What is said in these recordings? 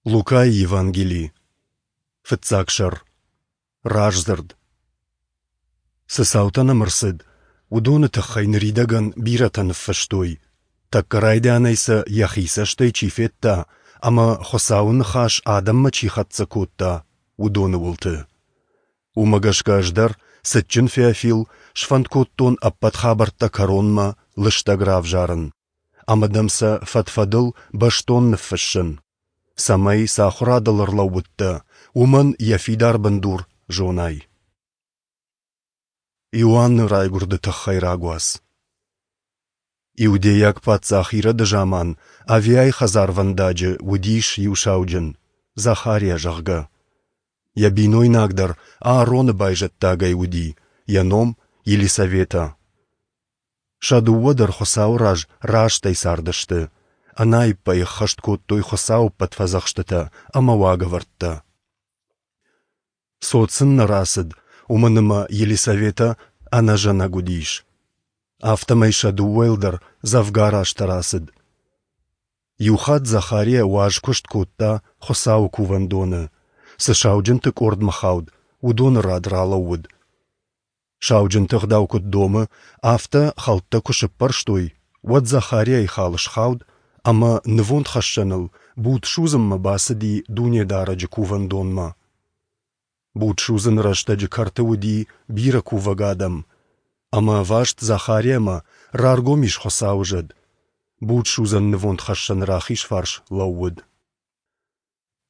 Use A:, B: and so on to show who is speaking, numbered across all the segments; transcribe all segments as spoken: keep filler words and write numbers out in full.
A: Лукайы Евангели, фыццаг сӕр. Раздзырд. Цы цаутӕ нӕм ӕрцыд, уыдоны тыххӕй ныридӕгӕн бирӕтӕ ныффыстой, тӕккӕ райдианӕй сӕ йӕхи цӕстӕй чи федта ӕмӕ Хуыцауы ныхас адӕммӕ чи хӕццӕ кодта, уыдоны уылты. Уымӕ гӕсгӕ ӕз дӕр, цытджын Феофил, сфӕнд кодтон ӕппӕт хабӕрттӕ кӕронмӕ лыстӕг равзарын ӕмӕ дӕм сӕ фӕд-фӕдыл бӕстон ныффыссын, цӕмӕй, цы ахуырадыл ӕрлӕууыдтӕ, уымӕн йӕ фидар бындур зонай. Иоанны райгуырды тыххӕй рагуац. Иудейаг паддзах Ироды заман Авиайы хӕдзарвӕндаджы уыдис иу сауджын, Захариа, зӕгъгӕ. Йӕ бинойнаг дӕр Аароны байзӕддагӕй уыди, йӕ ном Елисаветӕ. Сӕ дыууӕ дӕр Хуыцауы раз рӕстӕй цардысты, ӕнаиппӕй ӕххӕст кодтой Хуыцауы ӕппӕт фӕдзӕхстытӕ ӕмӕ уагӕвӕрдтӕ. Цот сын нӕ рацыд, уымӕн ӕмӕ Елисаветӕ ӕнӕзӕнӕг уыдис. Афтӕмӕй сӕ дыууӕйыл дӕр дзӕвгар азтӕ рацыд. Иухатт Захариа уаз куыст кодта Хуыцауы кувӕндоны, цы сауджынты къордмӕ хауд, уыдоны рад ралӕууыд. Сауджынты ӕгъдау куыд домы, афтӕ хӕлттӕ куы сыппӕрстой, уӕд Захариайы хал схауд ӕмӕ нывондхӕссӕныл буд судзынмӕ бацыди Дунедарӕджы кувӕндонмӕ. Буд судзыны рӕстӕджы кӕрты уыди бирӕ кувӕг адӕм, ӕмӕ ӕваст Захариамӕ раргом ис Хуыцауы зӕд. Будсудзӕн нывондхӕссӕны рахиз фарс лӕууыд.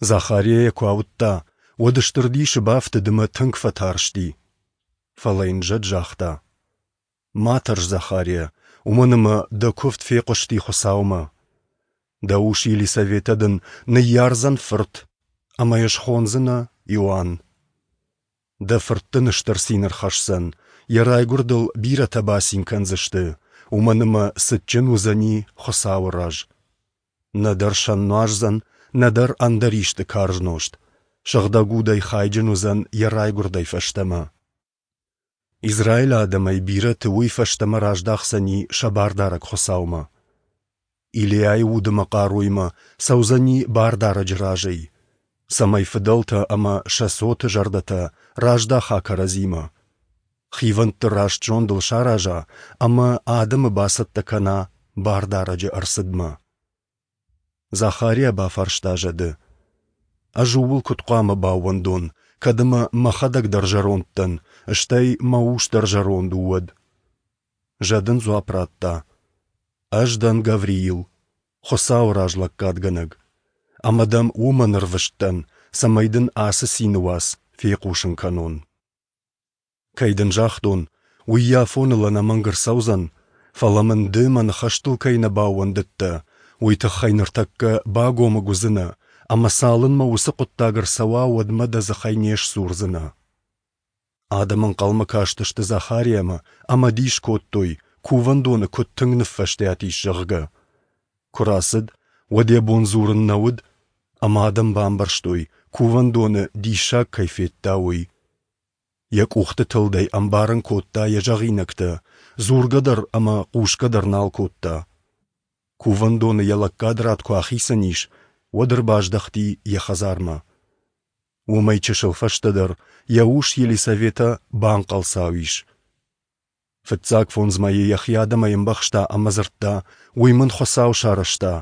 A: Захариа йӕ куы ауыдта, уӕд стыр дисы бафтыд ӕмӕ тынг фӕтарсти. Фӕлӕ йын зӕд загъта: Ма тӕрс, Захариа, уымӕн ӕмӕ дӕ куывд фехъуысти Хуыцаумӕ. Дӕ ус Елисаветӕ дын ныййардзӕн фырт, ӕмӕ йӕ схондзынӕ Иоанн. Дӕ фырт дын стыр цин ӕрхӕсдзӕн, йӕ райгуырдыл бирӕтӕ бацин кӕндзысты, уымӕн ӕмӕ цытджын уыдзӕни Хуыцауы раз. Нӕдӕр сӕн нуаздзӕн, нӕдӕр ӕндӕр исты карз нозт, сыгъдӕг удӕй хайджын уыдзӕн йӕ райгуырдӕй фӕстӕмӕ. Израилы адӕмӕй бирӕты уый фӕстӕмӕ раздахдзӕни сӕ Бардарӕг Хуыцаумӕ. Илиайы уд ӕмӕ хъаруимӕ цӕудзӕни Бардарӕджы разӕй, цӕмӕй фыдӕлтӕ ӕмӕ сӕ цоты зӕрдӕтӕ раздаха кӕрӕдзимӕ, хивӕндты раст зондыл сараза ӕмӕ адӕмы бацӕттӕ кӕна Бардарӕджы ӕрцыдмӕ. Захариа бафарста зӕды: Ӕз ууыл куыд хъуамӕ баууӕндон, кӕд ӕмӕ мӕхӕдӕг дӕр зӕронд дӕн, стӕй мӕ ус дӕр зӕронд у, уӕд? Зӕд ын дзуапп радта: Ӕз дӕн Гавриил, Хуыцауы раз лӕггадгӕнӕг, ӕмӕ дӕм уымӕн ӕрвыст дӕн, цӕмӕй дын ацы цины уац фехъусын кӕнон. Кӕй дын загътон, уый йӕ афоныл ӕнӕмӕнг ӕрцӕудзӕн, фӕлӕ мын ды мӕ ныхӕстыл кӕй нӕ баууӕндыдтӕ, уый тыххӕй ныртӕккӕ багомыг уыдзынӕ, ӕмӕ цалынмӕ уыцы хъуыддаг ӕрцӕуа, уӕдмӕ дӕ дзыхӕй не сдзурдзынӕ. Адӕм ӕнхъӕлмӕ кастысты Захариамӕ ӕмӕ дис кодтой, кувӕндоны куыд тынг ныффӕстиат ис, зӕгъгӕ. Куы рацыд, уӕд йӕ бон дзурын нӕ уыд, ӕмӕ адӕм бамбӕрстой, кувӕндоны диссаг кӕй федта, уый. Йӕ къухты тылдӕй ӕмбарын кодта йӕ зӕгъинӕгтӕ, дзургӕ дӕр ӕмӕ хъусгӕ дӕр нал кодта. Кувӕндоны йӕ лӕггад рад куы ахицӕн ис, уӕд ӕрбаздӕхти йӕ хӕдзармӕ. Уымӕй чысыл фӕстӕдӕр йӕ ус Елисаветӕ банхъӕлцау ис. Фыццаг фондз мӕйы йӕхи адӕмӕй ӕмбӕхста ӕмӕ дзырдта: Уый мын Хуыцау сарӕзта,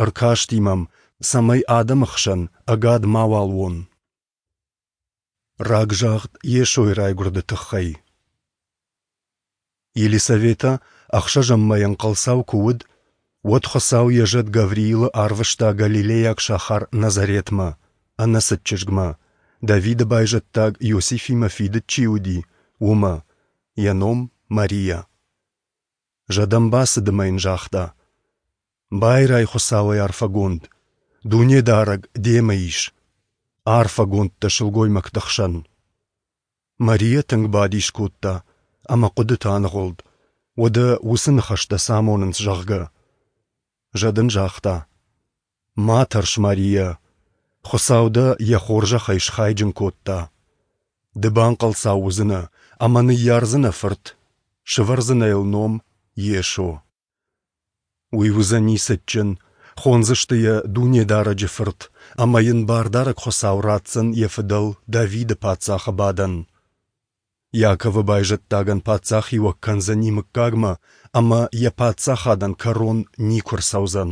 A: ӕркасти мӕм, цӕмӕй адӕмы хсӕн ӕгад мауал уон. Рагзагъд Йесойы райгуырды тыххӕй. Елисаветӕ ӕхсӕзӕм мӕй ӕнхъӕлцау куы уыд, уӕд Хуыцау йӕ зӕд Гавриилы арвыста галилейаг сахар Назаретмӕ, ӕнӕцыд чызгмӕ, Давиды байзӕддаг Иосифимӕ фидыд чи уыди, уымӕ, йӕ ном Мариа. Зӕд ӕм бацыд ӕмӕ йын загъта: Байрай Хуыцауӕй арфӕгонд, Дунедарӕг демӕ ис, арфӕгонд дӕ сылгоймӕгты хсӕн. Мариа тынг бадис кодта ӕмӕ хъуыдыты аныгъуылд, уӕдӕ уыцы ныхӕстӕ цы амонынц, зӕгъгӕ. Зӕд ын загъта: Ма тӕрс, Мариа, Хуыцау дӕ йӕ хорзӕхӕй схайджын кодта. Ды банхъӕлцау уыдзынӕ ӕмӕ ныййардзынӕ фырт, сӕвӕрдзынӕ йыл ном Йесо. Уый уыдзӕни цытджын, Хондзысты йӕ Дунедарӕджы Фырт, ӕмӕ йын Бардарӕг Хуыцау ратдзӕн йӕ фыдӕл Давиды паддзахы бадӕн. Иаковы байзӕддагӕн паддзахиуӕг кӕндзӕни мыггагмӕ, ӕмӕ йӕ паддзахадӕн кӕрон никуы рцӕудзӕн.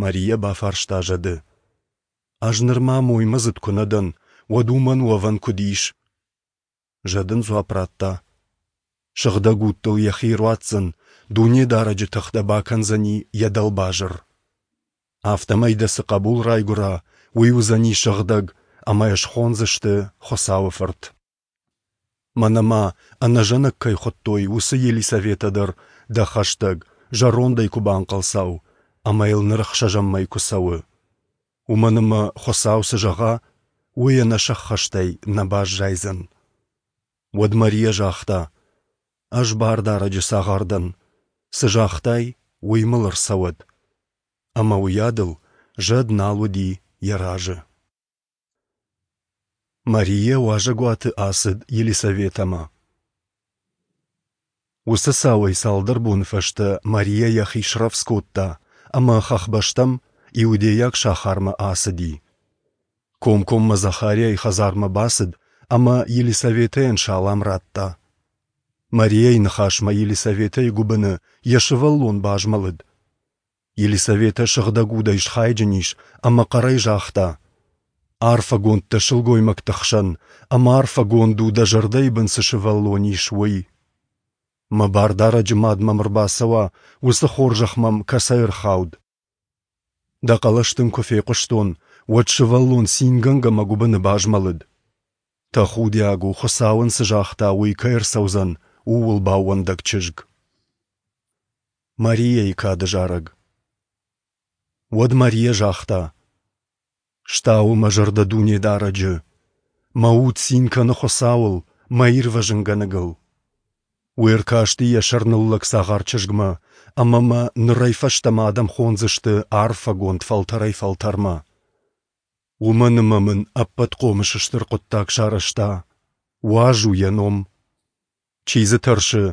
A: Марийӕ бафарста зӕды: Ӕз нырма моймӕдзыд куы нӕ дӕн, уӕд уымӕн уӕвӕн куыд ис? Зӕд ын дзуапп радта: Сыгъдӕг Уд дыл йӕхи ӕруадздзӕн, Дунедарӕджы тых дӕ бакӕндзӕни йӕ дӕлбазыр. Афтӕмӕй дӕ цы хъӕбул райгуыра, уый уыдзӕни сыгъдӕг, ӕмӕ йӕ схондзысты Хуыцауы Фырт. Мӕнӕ ма, ӕнӕзӕнӕг кӕй хуыдтой, уыцы Елисаветӕ дӕр дӕ хӕстӕг, зӕрондӕй куы банхъӕлцау, ӕмӕ йыл ныр ӕхсӕзӕм мӕй куы цӕуы. Уымӕн ӕмӕ Хуыцау цы зӕгъа, уый ӕнӕсӕххӕстӕй нӕ баззайдзӕн. Уӕд Марийӕ загъта: Ӕз Бардарӕджы цагъар дӕн, цы загътай, уый мыл ӕрцӕуӕд. Ӕмӕ уыйадыл зӕд нал уыди йӕ разы. Марийӕ уазӕгуаты ацыд Елисаветӕмӕ. Уыцы цауӕй цалдӕр боны фӕстӕ Марийӕ йӕхи срӕвдз кодта ӕмӕ хӕхбӕстӕм, иудейаг сахармӕ ацыди. Комкоммӕ Захариайы хӕдзармӕ бацыд ӕмӕ Елисаветӕйӕн салам радта. Марийӕйы ныхасмӕ Елисаветӕйы гуыбыны йӕ сывӕллон базмӕлыд. Елисаветӕ Сыгъдӕг Удӕй схайджын ис ӕмӕ хъӕрӕй загъта: Арфӕгонд дӕ сылгоймӕгты хсӕн, ӕмӕ арфӕгонд у, дӕ зӕрдӕйы бын цы сывӕллон ис, уый. Мӕ Бардарӕджы мад мӕм ӕрбацӕуа, уыцы хорзӕх мӕм кӕцӕй ӕрхауд? Дӕ хъӕлӕс дын куы фехъуыстон, уӕд сывӕллон цингӕнгӕ мӕ гуыбыны базмӕлыд. Тӕхудиаг у, Хуыцау ын цы загъта, уый кӕй ӕрцӕудзӕн, ууыл баууӕндӕг чызг. Марийӕйы кады зарӕг. Уӕд Марийӕ загъта: Стауы мӕ зӕрдӕ Дунедарӕджы, мӕ уд цин кӕны Хуыцауыл, мӕ Ирвӕзынгӕнӕгыл. Уый ӕркасти йӕ сӕрныллӕг цагъар чызгмӕ, ӕмӕ мӕ нырӕй фӕстӕмӕ адӕм хондзысты арфӕгонд фӕлтӕрӕй фӕлтӕрмӕ. Уымӕн ӕмӕ мын Ӕппӕтхъомыс стыр хъуыддаг сарӕзта, уаз у йӕ ном. Чи дзы тӕрсы,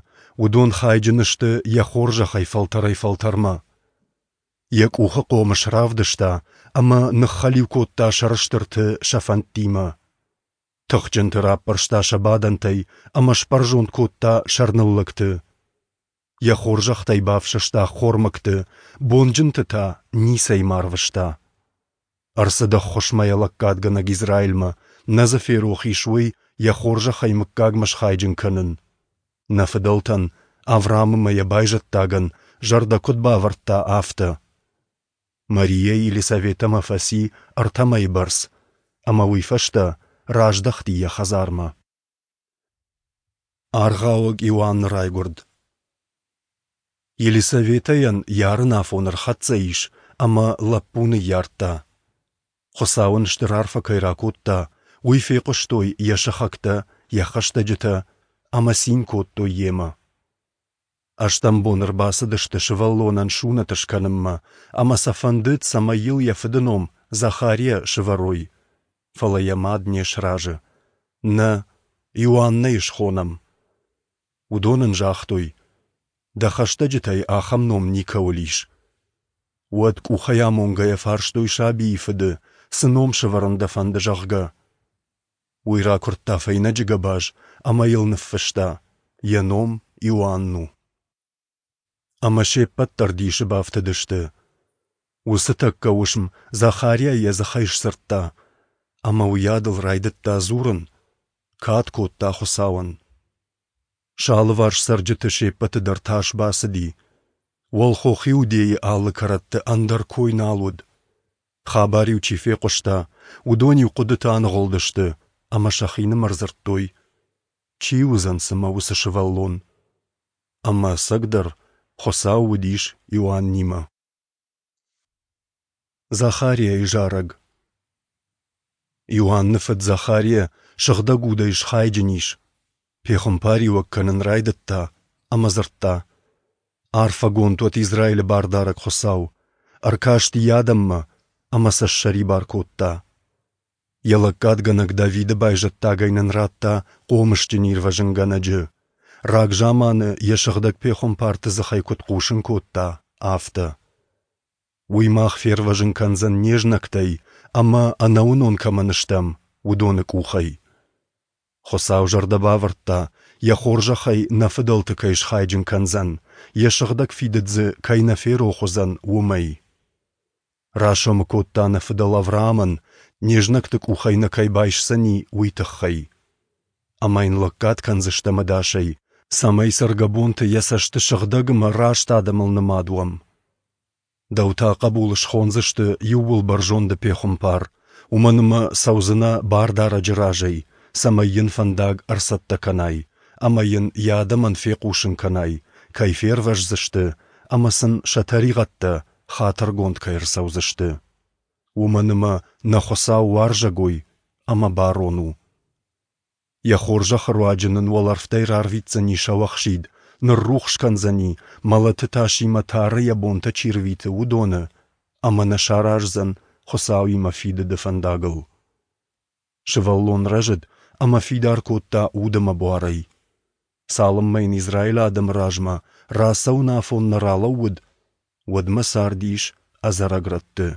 A: уыдон хайджын сты йӕ хорзӕхӕй фӕлтӕрӕй фӕлтӕрмӕ. Йӕ къухы хъомыс равдыста ӕмӕ ныххӕлиу кодта сӕрыстырты сӕ фӕндтимӕ. Тыхджынты раппӕрста сӕ бадӕнтӕй ӕмӕ сбӕрзонд кодта сӕрныллӕгты. Йӕ хорзӕхтӕй бафсӕста ӕххормӕгты, бонджынты та ницӕй ма рвыста. Ӕрцыд ӕххуысмӕ йӕ лӕггадгӕнӕг Израилмӕ, нӕ дзы ферох ис уый йӕ хорзӕхӕй мыггагмӕ схайджын кӕнын. Нӕ фыдӕлтӕн, Авраам ӕмӕ йӕ байзӕддагӕн, зӕрдӕ куыд бавӕрдта, афтӕ. Марийӕ Елисаветӕмӕ фӕци ӕртӕ мӕйы бӕрц, ӕмӕ уый фӕстӕ раздӕхти йӕ хӕдзармӕ. Аргъауӕг Иоанны райгуырд. Елисаветӕйӕн йӕ арын афон ӕрхӕццӕ ис, ӕмӕ лӕппу ныййардта. Хуыцау ын стыр арфӕ кӕй ракодта, уый фехъуыстой йӕ сыхӕгтӕ, йӕ хӕстӕджытӕ ӕмӕ цин кодтой йемӕ. Ӕстӕм бон ӕрбацыдысты сывӕллонӕн сунӕт скӕнынмӕ, ӕмӕ сӕ фӕндыд, цӕмӕй йыл йӕ фыды ном Захария сывӕрой. Фӕлӕ йӕ мад не сразы. Нӕ, Иоаннӕй схонӕм. Уыдон ын загътой: Дӕ хӕстӕджытӕй ахӕм ном никӕуыл ис. Уӕд къухӕй амонгӕйӕ фарстой сабийы фыды, цы ном сӕвӕрын дӕ фӕнды, зӕгъгӕ. Уый ракуырдта фӕйнӕджы гӕбаз ӕмӕ йыл ныффыста: Йӕ ном Иоанн у. Ӕмӕ се ппӕт дӕр дисы бафтыдысты. Уыцы тӕккӕ уысм Захария йӕ дзыхӕй сдзырдта, ӕмӕ уыйадыл райдыдта дзурын, кад кодта Хуыцауӕн. Сӕ алыварс цӕрджыты се ппӕты дӕр тас бацыди. Уӕлхох Иудейы алы кӕрӕтты ӕндӕр кой нал уыд. Хабар-иу чи фехъуыста, уыдон-иу хъуыдыты аныгъуылдысты ӕмӕ сӕхинымӕр дзырдтой: Чи уыдзӕн цымӕ уыцы сывӕллон? Ӕмӕ ӕцӕгдӕр Хуыцау уыдис Иоаннимӕ. Захариайы зарӕг. Иоанны фыд Захария Сыгъдӕг Удӕй схайджын ис, пехуымпариуӕг кӕнын райдыдта ӕмӕ дзырдта: Арфӕгонд уӕд Израилы Бардарӕг Хуыцау, ӕркасти йӕ адӕммӕ ӕмӕ сӕ ссӕрибар кодта. Йӕ лӕггадгӕнӕг Давиды байзӕддагӕй нын радта хъомысджын ирвӕзынгӕнӕджы, рагзаманы йӕ сыгъдӕг пехуымпарты дзыхӕй куыд хъусын кодта, афтӕ. Уый мах фервӕзын кӕндзӕн не знӕгтӕй ӕмӕ, ӕнӕуынон кӕмӕн стӕм, уыдоны къухӕй. Хуыцау зӕрдӕ бавӕрдта, йӕ хорзӕхӕй нӕ фыдӕлты кӕй схайджын кӕндзӕн, йӕ сыгъдӕг фидыд дзы кӕй нӕ ферох уыдзӕн, уымӕй. Расомы кодта нӕ фыдӕл Авраамӕн, не знӕгты къухӕй нӕ кӕй байсдзӕни, уый тыххӕй. Ӕмӕ йын лӕггад кӕндзыстӕм ӕдасӕй, цӕмӕй цӕргӕбонты йӕ цӕсты сыгъдӕг ӕмӕ раст адӕмыл нымад уӕм. Дӕу та, хъӕбул, схондзысты Иууылбӕрзонды пехуымпар, уымӕн ӕмӕ цӕудзынӕ Бардарӕджы разӕй, цӕмӕй йын фӕндаг ӕрцӕттӕ кӕнай ӕмӕ йын йӕ адӕмӕн фехъусын кӕнай, кӕй фервӕздзысты ӕмӕ сын сӕ тӕригъӕдтӕ хатыргонд кӕй ӕрцӕудзысты. Уымӕн ӕмӕ нӕ Хуыцау уарзӕгой ӕмӕ барон у. Йӕ хорзӕхы руаджы нын уӕлӕрвтӕй рарвитдзӕни сӕуӕхсид, ныррухс кӕндзӕни, мӕлӕты тасимӕ тары йӕ бонтӕ чи рвиты, уыдоны, ӕмӕ нӕ сараздзӕн Хуыцауимӕ фидыды фӕндагыл. Сывӕллон рӕзыд ӕмӕ фидар кодта уд ӕмӕ буарӕй. Цалынмӕ йын Израилы адӕмы размӕ рацӕуын афон нӕ ралӕууыд, уӕдмӕ цардис ӕдзӕрӕг рӕтты.